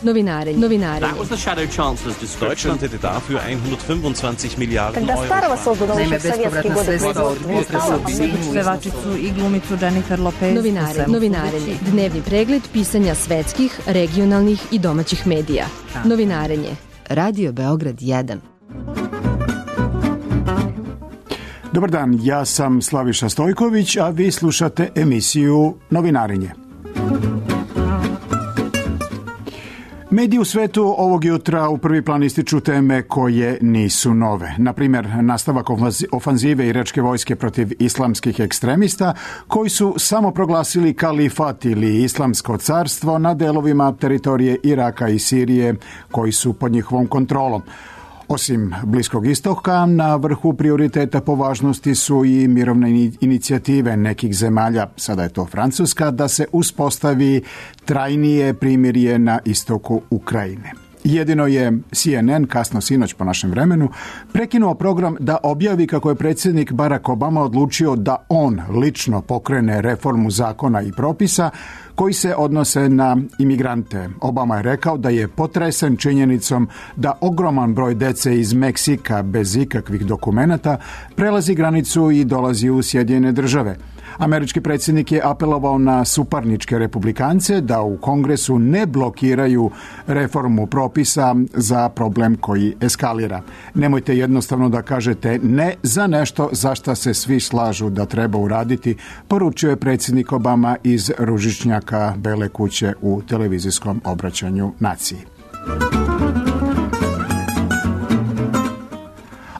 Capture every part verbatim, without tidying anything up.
Novinarenje. Novinarenje. That was the Shadow Chancellor's description. Deutschland hätte dafür hundertfünfundzwanzig Miliarden Когда Euro. Starova создана Naime, još sovjetski bespovratna pevačicu i glumicu Jennifer Lopez. Novinarenje. Novinarenje. Dnevni pregled pisanja svetskih, regionalnih i domaćih medija. Novinarenje. Radio Beograd jedan. Dobar dan, ja sam Slaviša Stojković, a vi slušate emisiju Novinarenje. Mediji u svetu ovog jutra u prvi plan ističu teme koje nisu nove. Na primjer, nastavak ofanzive iračke vojske protiv islamskih ekstremista koji su samo proglasili kalifat ili islamsko carstvo na delovima teritorije Iraka i Sirije koji su pod njihovom kontrolom. Osim Bliskog istoka, na vrhu prioriteta po važnosti su i mirovne inicijative nekih zemalja, sada je to Francuska, da se uspostavi trajnije primirje na istoku Ukrajine. Jedino je C N N, kasno sinoć po našem vremenu, prekinuo program da objavi kako je predsjednik Barack Obama odlučio da on lično pokrene reformu zakona i propisa koji se odnose na imigrante. Obama je rekao da je potresen činjenicom da ogroman broj dece iz Meksika bez ikakvih dokumenata prelazi granicu i dolazi u Sjedinjene države. Američki predsjednik je apelovao na suparničke republikance da u Kongresu ne blokiraju reformu propisa za problem koji eskalira. Nemojte jednostavno da kažete ne za nešto za šta se svi slažu da treba uraditi, poručio je predsjednik Obama iz ružičnjaka Bele kuće u televizijskom obraćanju naciji.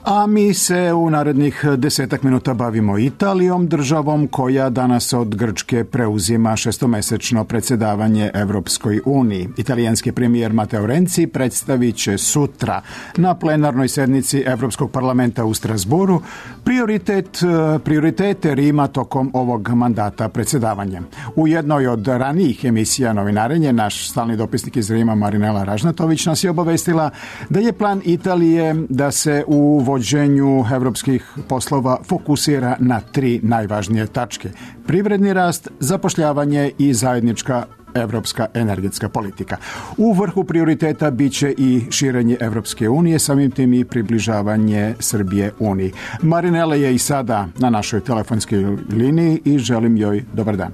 A mi se u narednih desetak minuta bavimo Italijom, državom koja danas od Grčke preuzima šestomesečno predsjedavanje Evropskoj uniji. Italijanski premijer Matteo Renzi predstavit će sutra na plenarnoj sednici Evropskog parlamenta u Strasburu prioritet, prioritete Rima tokom ovog mandata predsjedavanja. U jednoj od ranijih emisija Novinarenje, naš stalni dopisnik iz Rima Marinela Ražnatović nas je obavestila da je plan Italije da se u vođenju evropskih poslova fokusira na tri najvažnije tačke: privredni rast, zapošljavanje i zajednička evropska energetska politika. U vrhu prioriteta bit će i širenje Evropske unije, samim tim i približavanje Srbije Uniji. Marinela je i sada na našoj telefonskoj liniji i želim joj dobar dan.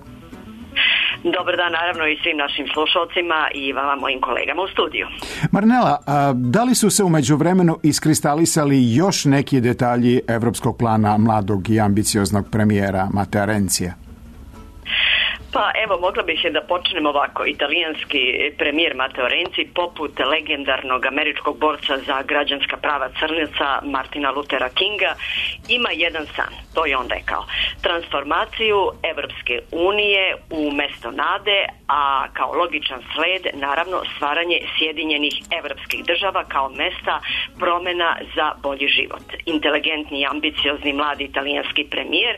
Dobar dan, naravno, i svim našim slušalcima i vama, mojim kolegama u studiju. Marinela, a da li su se u međuvremenu iskristalisali još neki detalji evropskog plana mladog i ambicioznog premijera Mattea Renzija? Pa evo, mogla bih je da počnem ovako. Italijanski premijer Matteo Renzi, poput legendarnog američkog borca za građanska prava crnaca Martina Luthera Kinga, ima jedan san, to je on rekao: transformaciju Evropske unije u mesto nade, a kao logičan sled naravno stvaranje Sjedinjenih evropskih država kao mesta promjena za bolji život. Inteligentni i ambiciozni mladi italijanski premijer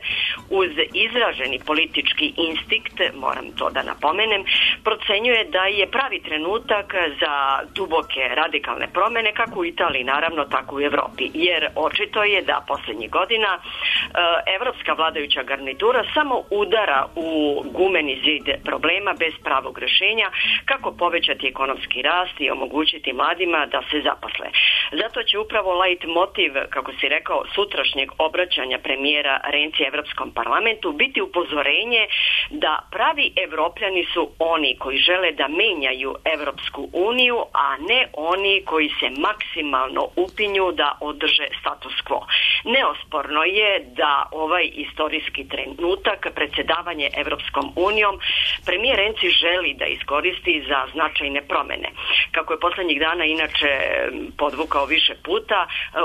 uz izraženi politički instinkt, moram to da napomenem, procenjuje da je pravi trenutak za duboke radikalne promjene kako u Italiji, naravno, tako u Evropi. Jer očito je da posljednjih godina evropska vladajuća garnitura samo udara u gumeni zid problema bez pravog rješenja kako povećati ekonomski rast i omogućiti mladima da se zaposle. Zato će upravo leit motiv, kako si rekao, sutrašnjeg obraćanja premijera Renzi Evropskom parlamentu biti upozorenje da pravi Evropljani su oni koji žele da menjaju Evropsku uniju, a ne oni koji se maksimalno upinju da održe status quo. Neosporno je da ovaj istorijski trenutak, predsjedavanje Evropskom unijom, premijer Renzi želi da iskoristi za značajne promjene. Kako je posljednjih dana inače podvukao više puta,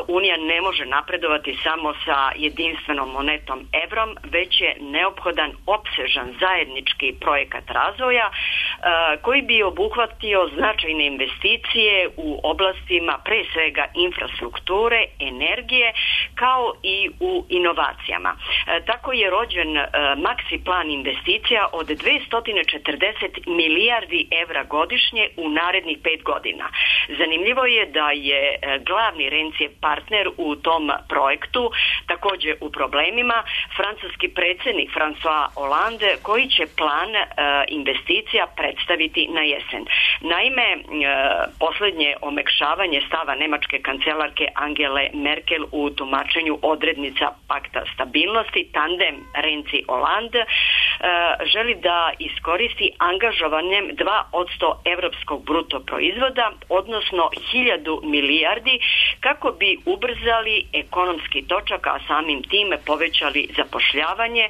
Unija ne može napredovati samo sa jedinstvenom monetom evrom, već je neophodan opsežan zajednički projekat razvoja koji bi obuhvatio značajne investicije u oblastima pre svega infrastrukture, energije, kao i u inovacijama. Tako je rođen maksi plan investicija od dvesta četrdeset milijardi evra godišnje u narednih pet godina. Zanimljivo je da je glavni Rencijev partner u tom projektu također u problemima, francuski predsjednik François Hollande, koji će plan e, investicija predstaviti na jesen. Naime, e, posljednje omekšavanje stava nemačke kancelarke Angele Merkel u tumačenju odrednica pakta stabilnosti, tandem Renzi-Hollande, e, želi da iskoristi angažovanjem dva posto evropskog bruto proizvoda, odnosno hiljadu milijardi, kako bi ubrzali ekonomski točak, a samim tim povećali zapošljavanje,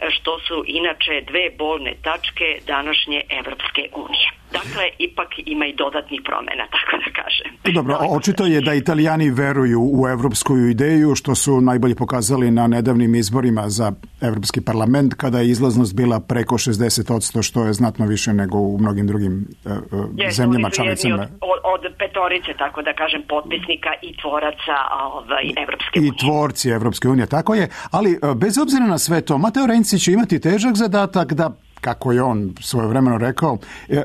što su inače dve bolne tačke današnje Evropske unije. Dakle, ipak ima i dodatnih promjena, tako da kažem. Dobro, očito je da Italijani veruju u evropsku ideju, što su najbolje pokazali na nedavnim izborima za Evropski parlament, kada je izlaznost bila preko šezdeset posto, što je znatno više nego u mnogim drugim uh, Jesu, zemljama članicama. Od, od petorice, tako da kažem, potpisnika i tvoraca ovaj, Evropske unije. I tvorci Evropske unije, tako je. Ali bez obzira na sve to, Matteo Renzi će imati težak zadatak da, kako je on svojevremeno rekao,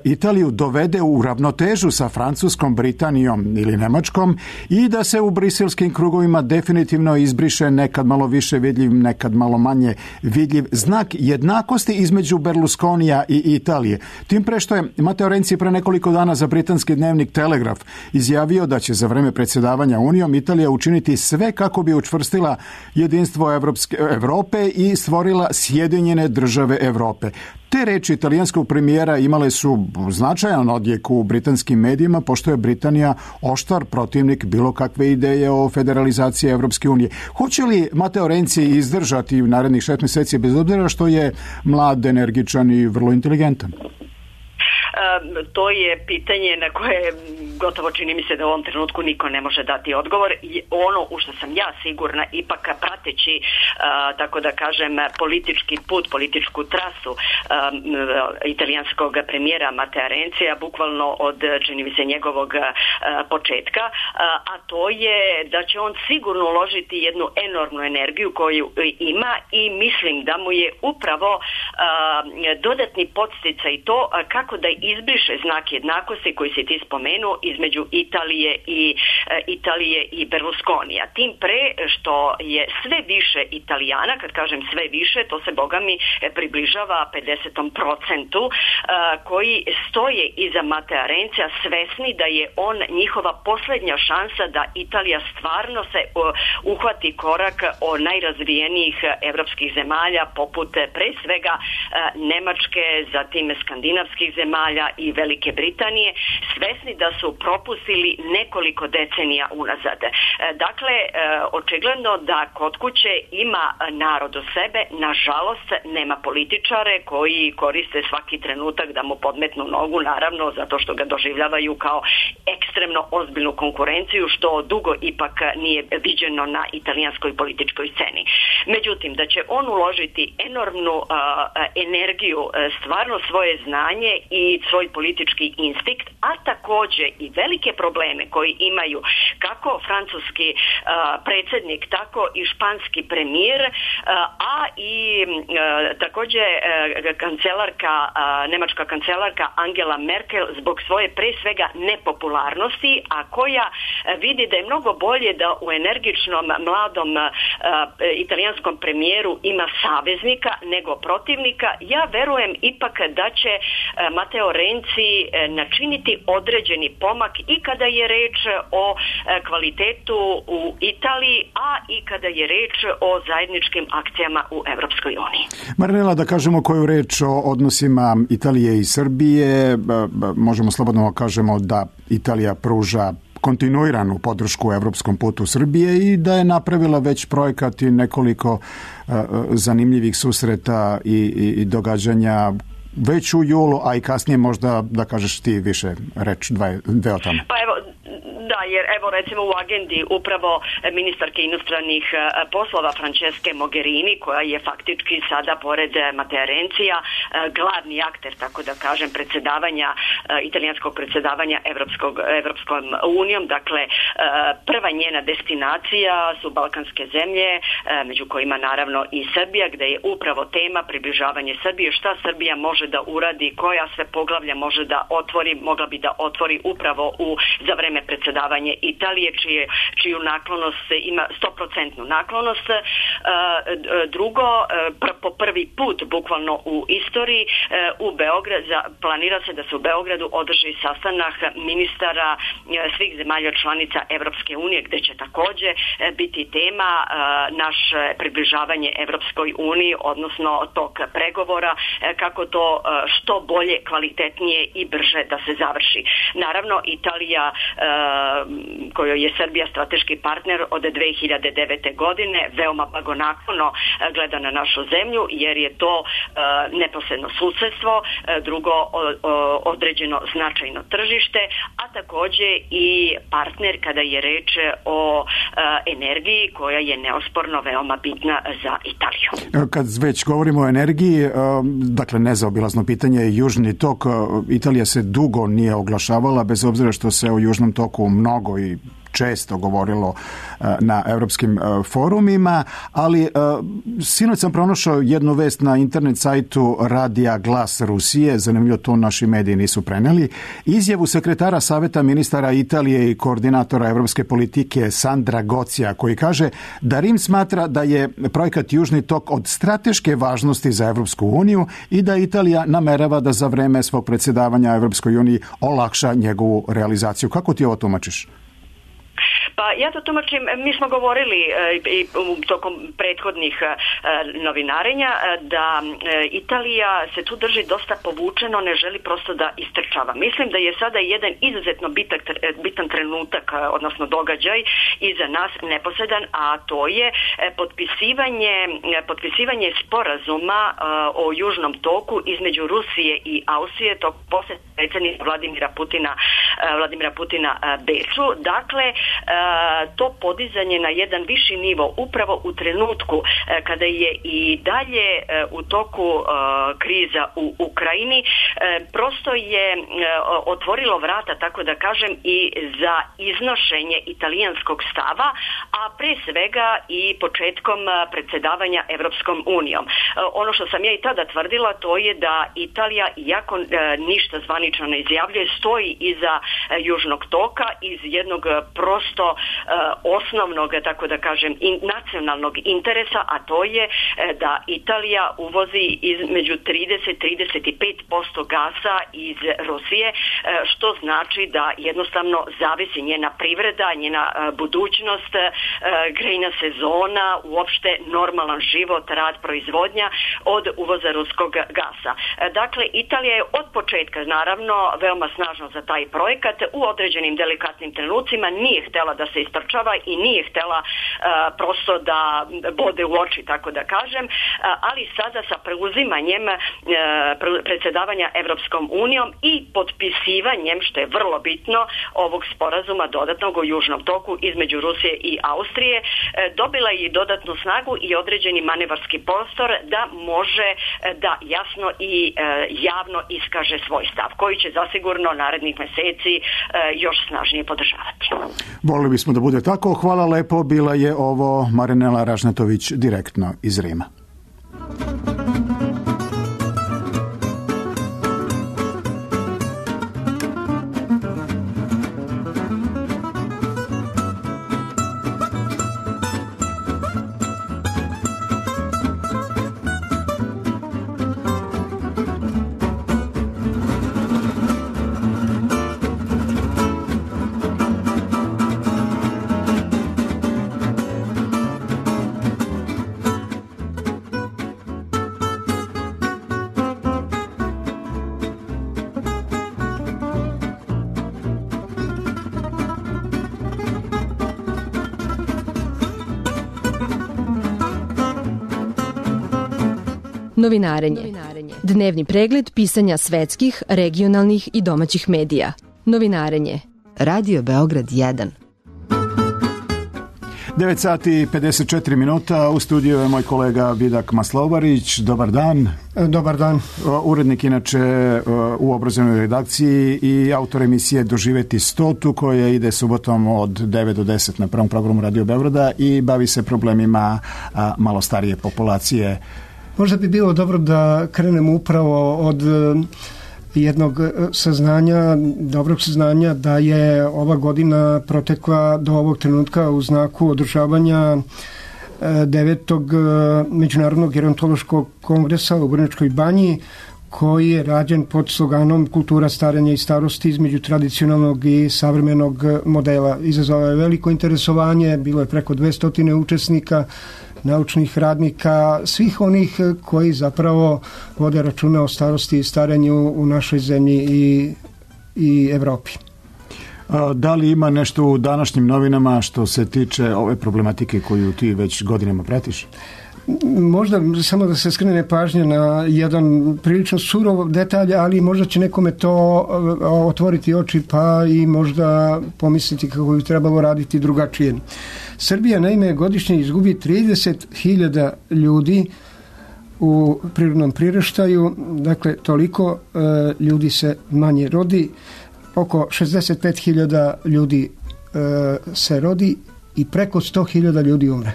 Italiju dovede u ravnotežu sa Francuskom, Britanijom ili Nemačkom i da se u briselskim krugovima definitivno izbriše nekad malo više vidljiv, nekad malo manje vidljiv znak jednakosti između Berlusconija i Italije. Tim pre što je Matteo Renzi pre nekoliko dana za britanski dnevnik Telegraf izjavio da će za vreme predsjedavanja Unijom Italija učiniti sve kako bi učvrstila jedinstvo Evropske, Evrope i stvorila Sjedinjene države Evrope. Te reči italijanskog premijera imale su značajan odjek u britanskim medijima, pošto je Britanija oštar protivnik bilo kakve ideje o federalizaciji Evropske unije. Hoće li Matteo Renzi izdržati u narednih šest mjeseci, bez obzira što je mlad, energičan i vrlo inteligentan? To je pitanje na koje gotovo čini mi se da u ovom trenutku niko ne može dati odgovor. Ono u što sam ja sigurna, ipak prateći, tako da kažem, politički put, političku trasu italijanskog premijera Mattea Renzija, bukvalno od, čini mi se, njegovog početka, a to je da će on sigurno uložiti jednu enormnu energiju koju ima i mislim da mu je upravo dodatni podsticaj to kako da izbriše znak jednakosti koji si ti spomenuo između Italije i e, Italije i Berlusconija. Tim pre što je sve više Italijana, kad kažem sve više, to se bogami približava pedeset procentu, e, koji stoje iza Mattea Renzija, svesni da je on njihova posljednja šansa da Italija stvarno se o, uhvati korak o najrazvijenijih evropskih zemalja, poput pre svega e, Nemačke, zatim skandinavskih zemalja i Velike Britanije, svesni da su propustili nekoliko decenija unazad. Dakle, očigledno da kod kuće ima narod u sebe, nažalost nema političare koji koriste svaki trenutak da mu podmetnu nogu, naravno zato što ga doživljavaju kao ekstremno ozbiljnu konkurenciju, što dugo ipak nije viđeno na italijanskoj političkoj sceni. Međutim, da će on uložiti enormnu uh, energiju, stvarno svoje znanje i svoj politički instinkt, a također i velike probleme koji imaju kako francuski uh, predsjednik, tako i španski premijer, uh, a i uh, također uh, kancelarka, uh, nemačka kancelarka Angela Merkel zbog svoje pre svega nepopularnosti, a koja uh, vidi da je mnogo bolje da u energičnom mladom uh, italijanskom premijeru ima saveznika nego protivnika. Ja verujem ipak da će uh, Matteo Renzi načiniti određeni pomak i kada je reč o kvalitetu u Italiji, a i kada je reč o zajedničkim akcijama u Evropskoj uniji. Marinela, da kažemo koju reč o odnosima Italije i Srbije, možemo slobodno kažemo da Italija pruža kontinuiranu podršku evropskom putu Srbije i da je napravila već projekat i nekoliko uh, zanimljivih susreta i, i, i događanja već u julu, a i kasnije možda da kažeš ti više reč, dve, dve o tome. Pa evo, da, jer evo recimo u agendi upravo ministarke inostranih poslova Francesche Mogherini, koja je faktički sada pored Matea Renzija glavni akter, tako da kažem, predsjedavanja, italijanskog predsjedavanja Evropskog, Evropskom unijom. Dakle, prva njena destinacija su balkanske zemlje, među kojima naravno i Srbija, gdje je upravo tema približavanje Srbije, šta Srbija može da uradi, koja sve poglavlja može da otvori, mogla bi da otvori upravo u, za vreme predsjedavanja Italije, čije, čiju naklonost ima sto posto naklonost. Drugo, po prvi put bukvalno u istoriji u Beograd, planira se da se u Beogradu održi sastanak ministara svih zemalja članica Evropske unije, gdje će također biti tema naše približavanje Evropskoj uniji, odnosno tok pregovora, kako to što bolje, kvalitetnije i brže da se završi. Naravno, Italija, kojoj je Srbija strateški partner od dve hiljade devete godine, veoma blagonaklono gleda na našu zemlju, jer je to neposredno susjedstvo, drugo određeno značajno tržište, a također i partner kada je reč o energiji, koja je neosporno veoma bitna za Italiju. Kad već govorimo o energiji, dakle nezaobilazno pitanje je Južni tok. Italija se dugo nije oglašavala, bez obzira što se o Južnom toku mnogo i često govorilo na europskim forumima, ali sinoć sam pronašao jednu vest na internet sajtu Radija Glas Rusije, zanimljivo to naši mediji nisu preneli, izjavu sekretara Saveta ministara Italije i koordinatora europske politike Sandra Gocija, koji kaže da Rim smatra da je projekat Južni tok od strateške važnosti za Evropsku uniju i da Italija namerava da za vreme svog predsjedavanja Evropskoj uniji olakša njegovu realizaciju. Kako ti ovo tumačiš? Pa ja to tumačim, mi smo govorili i tokom prethodnih novinarenja da Italija se tu drži dosta povučeno, ne želi prosto da istrčava. Mislim da je sada jedan izuzetno bitan, bitan trenutak, odnosno događaj iza nas neposredan, a to je potpisivanje, potpisivanje sporazuma o Južnom toku između Rusije i Austrije, to posle predsjednika Vladimira Putina, Vladimira Putina Beču. Dakle, to podizanje na jedan viši nivo upravo u trenutku kada je i dalje u toku kriza u Ukrajini, prosto je otvorilo vrata, tako da kažem, i za iznošenje italijanskog stava, a pre svega i početkom predsjedavanja Evropskom unijom. Ono što sam ja i tada tvrdila, to je da Italija, iako ništa zvanično ne izjavljuje, stoji iza Južnog toka iz jednog prosto osnovnog, tako da kažem, in, nacionalnog interesa, a to je da Italija uvozi između trideset do trideset pet posto gasa iz Rusije, što znači da jednostavno zavisi njena privreda, njena budućnost, grejna sezona, uopšte normalan život, rad, proizvodnja od uvoza ruskog gasa. Dakle, Italija je od početka, naravno, veoma snažno za taj projekat, u određenim delikatnim trenucima nije htjela da se istrčava i nije htjela uh, prosto da bode u oči, tako da kažem, uh, ali sada sa preuzimanjem uh, predsjedavanja Evropskom unijom i potpisivanjem, što je vrlo bitno, ovog sporazuma dodatnog o Južnom toku između Rusije i Austrije, uh, dobila je i dodatnu snagu i određeni manevarski prostor da može uh, da jasno i uh, javno iskaže svoj stav, koji će zasigurno narednih mjeseci uh, još snažnije podržavati. Volili bismo da bude tako. Hvala lepo. Bila je ovo Marinela Ražnatović direktno iz Rima. Novinarenje. Dnevni pregled pisanja svetskih, regionalnih i domaćih medija. Novinarenje. Radio Beograd jedan. devet sati i pedeset četiri minuta, u studiju je moj kolega Vidak Maslovarić. Dobar dan. Dobar dan. Urednik inače u obrazovnoj redakciji i autor emisije Doživeti stotu koja ide subotom od devet do deset na prvom programu Radio Beograda i bavi se problemima malo starije populacije. Možda bi bilo dobro da krenemo upravo od jednog saznanja, dobrog saznanja da je ova godina protekla do ovog trenutka u znaku održavanja devetog Međunarodnog gerontološkog kongresa u Vrnjačkoj banji, koji je rađen pod sloganom Kultura starenja i starosti između tradicionalnog i savremenog modela. Izazvalo je veliko interesovanje, bilo je preko dvesta učesnika, naučnih radnika, svih onih koji zapravo vode računa o starosti i starenju u našoj zemlji i, i Evropi. Da li ima nešto u današnjim novinama što se tiče ove problematike koju ti već godinama pratiš? Možda samo da se skrene pažnja na jedan prilično surov detalj, ali možda će nekome to otvoriti oči pa i možda pomisliti kako bi trebalo raditi drugačije. Srbija naime godišnje izgubi trideset hiljada ljudi u prirodnom priraštaju, dakle toliko e, ljudi se manje rodi, oko šezdeset pet hiljada ljudi e, se rodi i preko sto hiljada ljudi umre.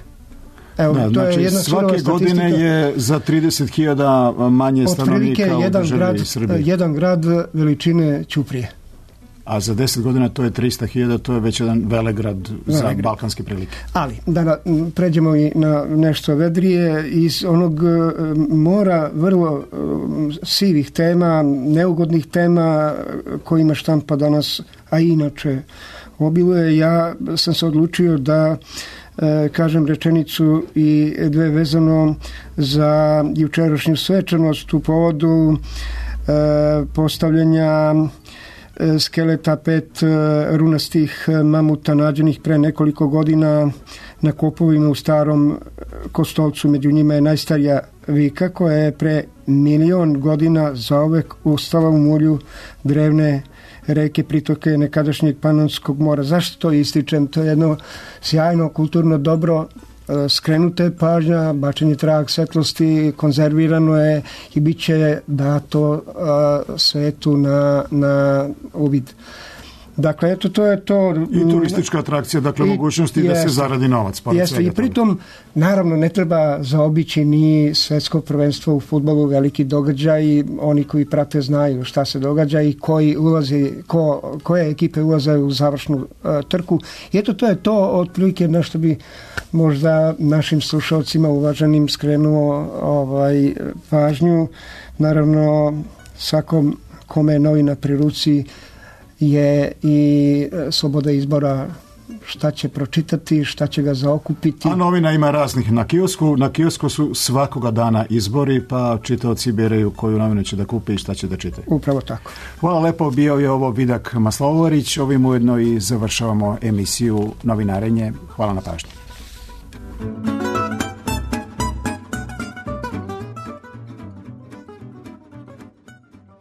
Evo, da, to znači, je jedna svake godine je za trideset hiljada manje stanovnika u državi Srbije. Jedan grad veličine Ćuprije. A za deset godina to je trista hiljada, to je već jedan velegrad za Velegrad. balkanske prilike. Ali, da pređemo i na nešto vedrije, iz onog mora vrlo sivih tema, neugodnih tema kojima štampa danas, a inače obiluje, ja sam se odlučio da kažem rečenicu i dve vezano za jučerašnju svečanost u povodu postavljanja skeleta pet runastih mamuta nađenih pre nekoliko godina na kopovima u Starom Kostolcu. Među njima je najstarija vika koja je pre milion godina zauvek ustala u mulju drevne reke, pritoke nekadašnjeg Panonskog mora. Zašto to ističem? To je jedno sjajno kulturno dobro, skrenuta je pažnja, bačen je trag svetlosti, konzervirano je i bit će dato svetu na, na uvid. Dakle, eto, to je to. I turistička atrakcija, dakle, i, mogućnosti jest, da se zaradi novac. Jeste, i pritom, naravno, ne treba zaobići ni svetsko prvenstvo u fudbalu, veliki događaj, oni koji prate znaju šta se događa i koji ulazi, ko, koje ekipe ulaze u završnu uh, trku. I eto, to je to, otprilike, na što bi možda našim slušalcima uvaženim skrenuo ovaj, pažnju. Naravno, svakom kome je novina pri ruci je i sloboda izbora šta će pročitati, šta će ga zaokupiti. A novina ima raznih na kiosku. Na kiosku su svakoga dana izbori, pa čitaoci biraju koju novinu će da kupi i šta će da čitaju. Upravo tako. Hvala lepo, bio je ovo Vidak Maslovarić. Ovim ujedno i završavamo emisiju Novinarenje. Hvala na pažnji.